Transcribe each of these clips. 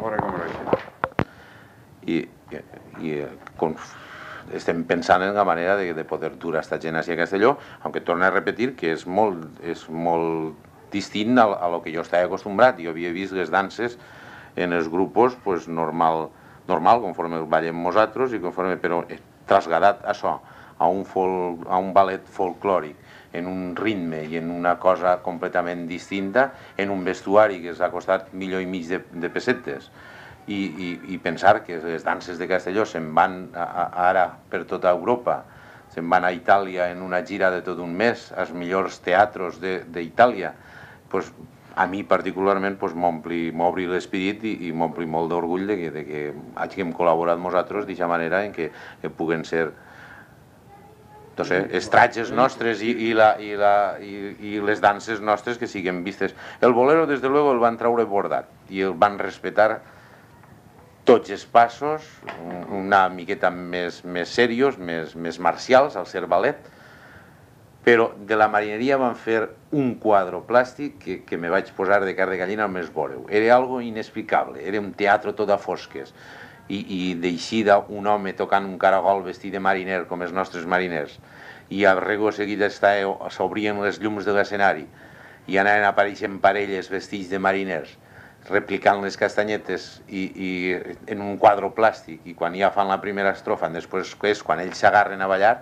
veure com era I estem pensant en la manera de poder dur a esta gent a Castelló, aunque torno a repetir que és molt distint a lo que jo estava acostumbrat. Jo havia vist les danses en els grups pues, normal, conforme el ballem nosaltres, però traslladat això a un ballet folclòric, en un ritme i en una cosa completament distinta, en un vestuari que ens ha costat 1,5 milions de pessetes. I pensar que les danses de Castelló se'n van ara per tota Europa, se'n van a Itàlia en una gira de tot un mes, als millors teatros d'Itàlia, a mi particularment m'obri l'espírit i m'ompli molt d'orgull de que hàgim col·laborat nosaltres d'aquesta manera en què puguen ser els tratges nostres i les danses nostres que siguin vistes. El bolero, des de luego, el van treure bordat i el van respetar tots els passos, una miqueta més serios, més marcials, al ser ballet, però de la marineria van fer un quadre plàstic que me vaig posar de carn de gallina al més veure-ho. Era algo inexplicable, era un teatre tot a fosques, i d'eixida un home tocant un caragol vestit de mariner, com els nostres mariners, i a rego seguit s'obrien les llums de l'escenari i anaven apareixent parelles vestits de mariners, replicant les castanyetes i en un quadre plàstic, i quan ja fan la primera estrofa, després és quan ells s'agarren a ballar,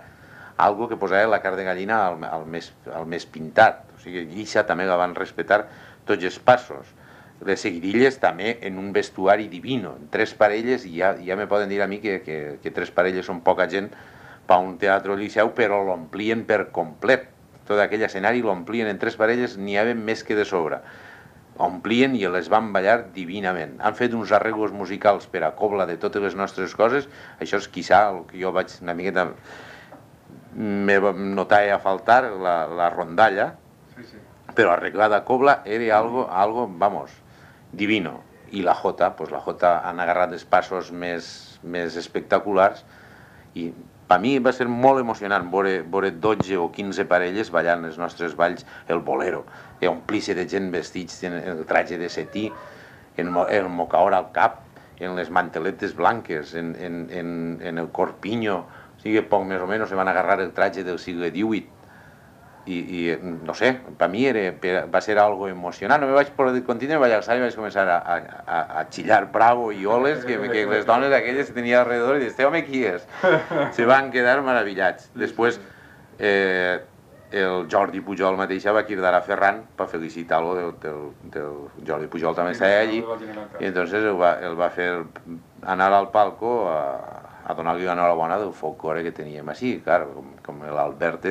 algo que posava la carn de gallina al més pintat. O sigui, això també la van respetar tots els passos. Les seguidilles també en un vestuari divino, en 3 parelles, i ja me poden dir a mi que 3 parelles són poca gent per un teatre al Liceu, però l'omplien per complet. Tot aquell escenari l'omplien en 3 parelles, n'hi havia més que de sobre. Omplien i les van ballar divinament. Han fet uns arreglos musicals per a cobla de totes les nostres coses. Això és quizà el que jo vaig una miqueta notar a faltar, la rondalla, però arreglada a cobla era algo, vamos, divino. I la Jota han agarrat els passos més espectaculars i per mi va ser molt emocionant veure 12 o 15 parelles ballant els nostres balls, el bolero, omplir-se de gent vestits en el traje de setí, el mocaor al cap, en les manteletes blanques, en el corpiño, o sigui, poc més o menys se van agarrar el traje del segle XVIII i no sé, per mi va ser algo emocionant. No me vaig poder continuar, vaig alçar i vaig començar a xillar bravo i oles que les dones aquelles que tenia alrededor i dius, home, qui és? Se van quedar meravillats. Després el Jordi Pujol mateixa va cridar a Ferran per felicitar-lo del Jordi Pujol també estava allí i entonces el va fer anar al palco a donar-li l'enhorabona del folklore que teníem així, clar, com l'Albert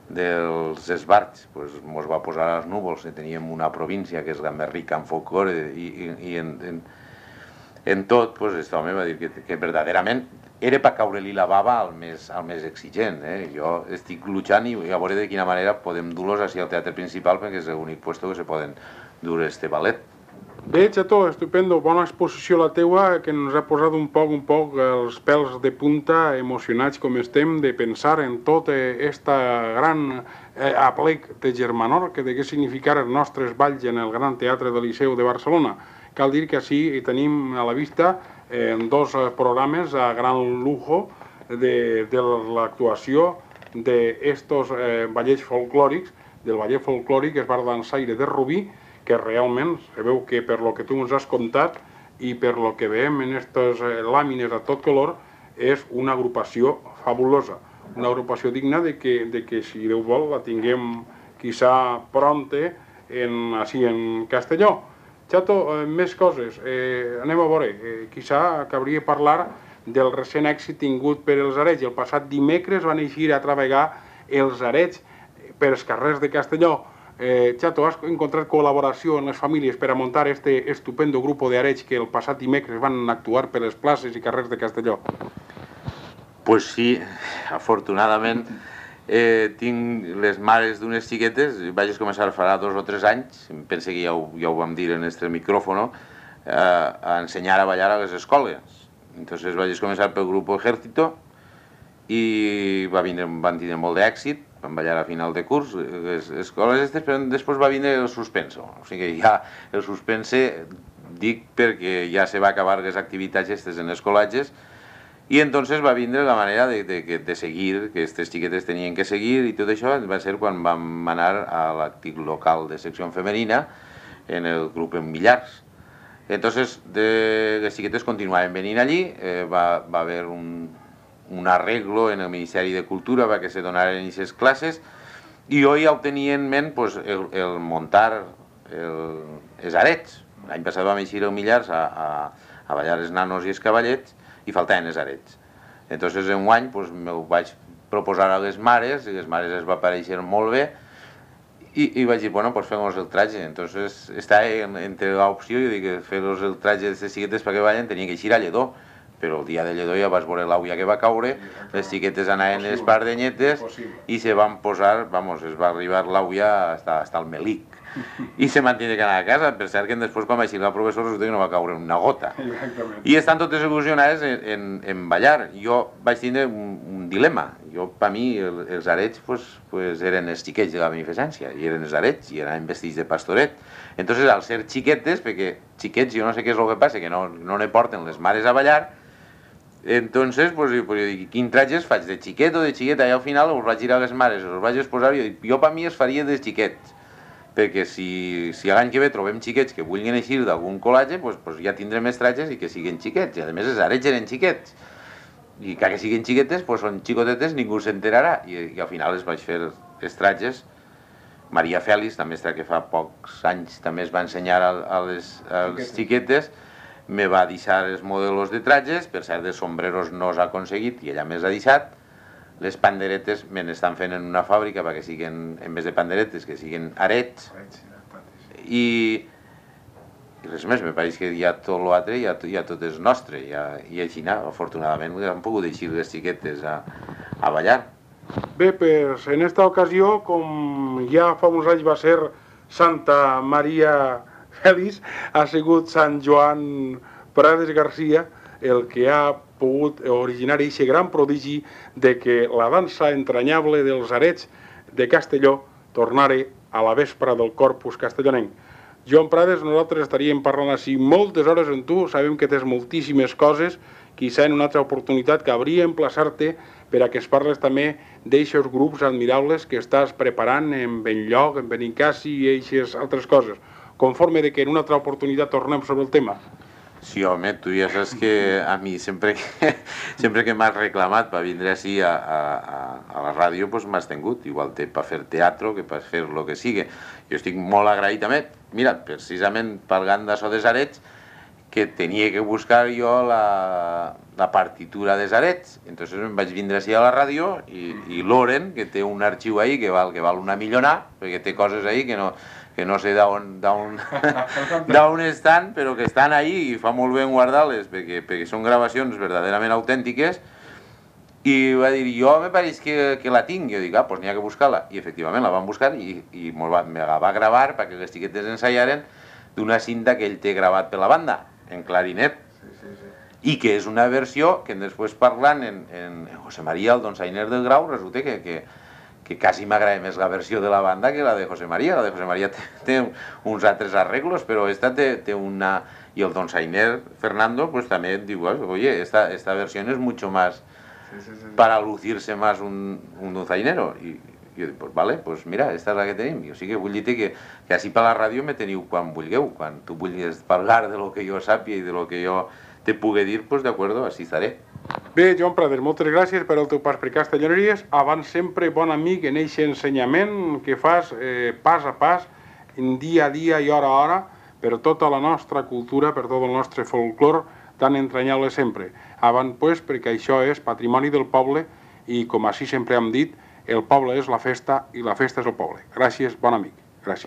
dels esbarts, ens va posar als núvols, teníem una província que és la més rica en folklore i en tot, aquest home va dir que verdaderament era per caure-li la bava al més exigent. Jo estic luchant i a veure de quina manera podem dur-los al teatre principal perquè és l'únic lloc que se poden dur este ballet. Bé, Chato, estupendo, bona exposició la teua, que ens ha posat un poc els pèls de punta, emocionats com estem, de pensar en tot este gran aplec de Germanor, que de què significar els nostres balls en el Gran Teatre del Liceu de Barcelona. Cal dir que així tenim a la vista 2 programes a gran lujo de l'actuació d'estos ballets folclòrics, del ballet folclòric es va dansaire de Rubí, que realment se veu que per lo que tu ens has contat i per lo que veiem en aquestes làmines a tot color és una agrupació fabulosa, una agrupació digna de que si Déu vol la tinguem quizá pronte així en Castelló. Chato, més coses, anem a veure, quizá cabria parlar del recent èxit tingut per els Arets. El passat dimecres van eixir a treballar els Arets per els carrers de Castelló. Chato, has encontrat col·laboració en les famílies per a muntar este estupendo grupo de Arets que el passat dimecres van actuar per les places i carrers de Castelló? Pues sí, afortunadament tinc les mares d'unes xiquetes, vaig començar farà 2 o 3 anys, pense que ja ho vam dir en este micrófono, a ensenyar a ballar a les escoles. Entonces vaig començar pel grupo Ejército i van tindre molt d'èxit, van ballar a final de curs, les escoles aquestes, però després va vindre el suspenso. O sigui, ja el suspense dic perquè ja se va acabar les activitats aquestes en els col·legis i entonces va vindre la manera de seguir, que aquestes xiquetes tenien que seguir i tot això va ser quan vam anar a l'antic local de secció femenina en el grup en Millars. Entonces les xiquetes continuaven venint allí, va haver un arreglo en el Ministeri de Cultura perquè se donaren aquestes classes i jo ja ho tenia en ment el muntar els arets. L'any passat vam eixir al Millars a ballar els nanos i els cavallets i faltaven els arets. Entonces, enguany, m'ho vaig proposar a les mares, i les mares es va aparèixer molt bé, i vaig dir, bueno, pues fem-nos el traje. Entonces, estava entre l'opció, jo dic, fer-nos el traje de les xiquetes perquè ballen, tenia que eixir a Lledó, però el dia de Lledó ja vas veure l'auia que va caure, les xiquetes anaven les pardenyetes i se van posar, vamos, es va arribar l'auia hasta el melic. I se van tenir que anar a casa, per cert que després quan va eixir el professor resulta que no va caure una gota. I estan totes il·lusionades en ballar. Jo vaig tindre un dilema. Per mi els arets eren els xiquets de la beneficència, i eren els arets, i eren vestits de pastoret. Entonces, al ser xiquetes, perquè xiquets jo no sé què és el que passa, que no ne porten les mares a ballar, entonces, jo dic, quin traje faig, de xiquet o de xiqueta? I al final us vaig girar a les mares, us vaig exposar, i jo per mi es faria de xiquets. Perquè si l'any que ve trobem xiquets que vulguin eixir d'algun col·legi, ja tindrem els trajes i que siguin xiquets. I a més els arets eren xiquets. I que siguin xiquetes, són xicotetes, ningú s'enterarà. I al final els vaig fer els trajes. Maria Fèlix, també que fa pocs anys també es va ensenyar als xiquetes, me va deixar els modelos de trajes, per cert de sombreros no s'ha aconseguit i ella més ha deixat. Les panderetes me n'estan fent en una fàbrica perquè siguin, en vez de panderetes, que siguin arets. I res més, me pareix que ja tot l'altre ja tot és nostre. I així, afortunadament, han pogut eixir les xiquetes a ballar. Bé, pues en esta ocasió, com ja fa uns anys va ser Santa Maria Fèlix, ha sigut Sant Joan Prades Garcia el que ha pogut originar aquest gran prodigi de que la dansa entranyable dels arets de Castelló tornara a la vespra del Corpus castellonenc. Joan Prades, nosaltres estaríem parlant així moltes hores amb tu, sabem que tens moltíssimes coses, quizà en una altra oportunitat cabria emplaçar-te per a que es parles també d'eixos grups admirables que estàs preparant en Benlloc, en Benincassi i eixes altres coses. Conforme de que en una altra oportunitat tornem sobre el tema. Sí, home, tu ja saps que a mi sempre que m'has reclamat per vindre així a la ràdio m'has tingut, igual per fer teatre que per fer el que sigui. Jo estic molt agraït també, mira, precisament parlant d'això dels arets, que tenia que buscar jo la partitura dels arets. Entonces em vaig vindre així a la ràdio i l'Oren, que té un arxiu ahí que val una millonà, perquè té coses ahí que no sé d'on estan, però que estan ahí i fa molt bé guardar-les perquè són gravacions verdaderament autèntiques. I va dir, jo me pareix que la tinc. Jo dic, doncs n'hi ha que buscar-la. I efectivament la van buscar i me la va gravar perquè les xiquetes ensaiaren d'una cinta que ell té gravat per la banda, en clarinet. I que és una versió que després parlant en José María, el donsainer del Grau, resulta que quasi m'agrada més la versió de la banda que la de José María. La de José María té uns altres arreglos, però esta té una... Y el donsainer Fernando també diu, oye, esta versión es mucho más para lucirse más un donsainero. Y jo dic, pues vale, pues mira, esta és la que tenim. O sigui que vull dir que així per la ràdio me teniu quan vulgueu. Quan tu vulguis parlar de lo que jo sàpia i de lo que jo te pugui dir, pues d'acord, així estaré. Bé, Joan Prades, moltes gràcies per el teu pas per Castelloneries. Abans sempre bon amic en aquest ensenyament que fas pas a pas, dia a dia i hora a hora, per tota la nostra cultura, per tot el nostre folclor, tan entranyable sempre. Avant, pues, perquè això és patrimoni del poble i, com així sempre hem dit, el poble és la festa i la festa és el poble. Gràcies, bon amic. Gràcies.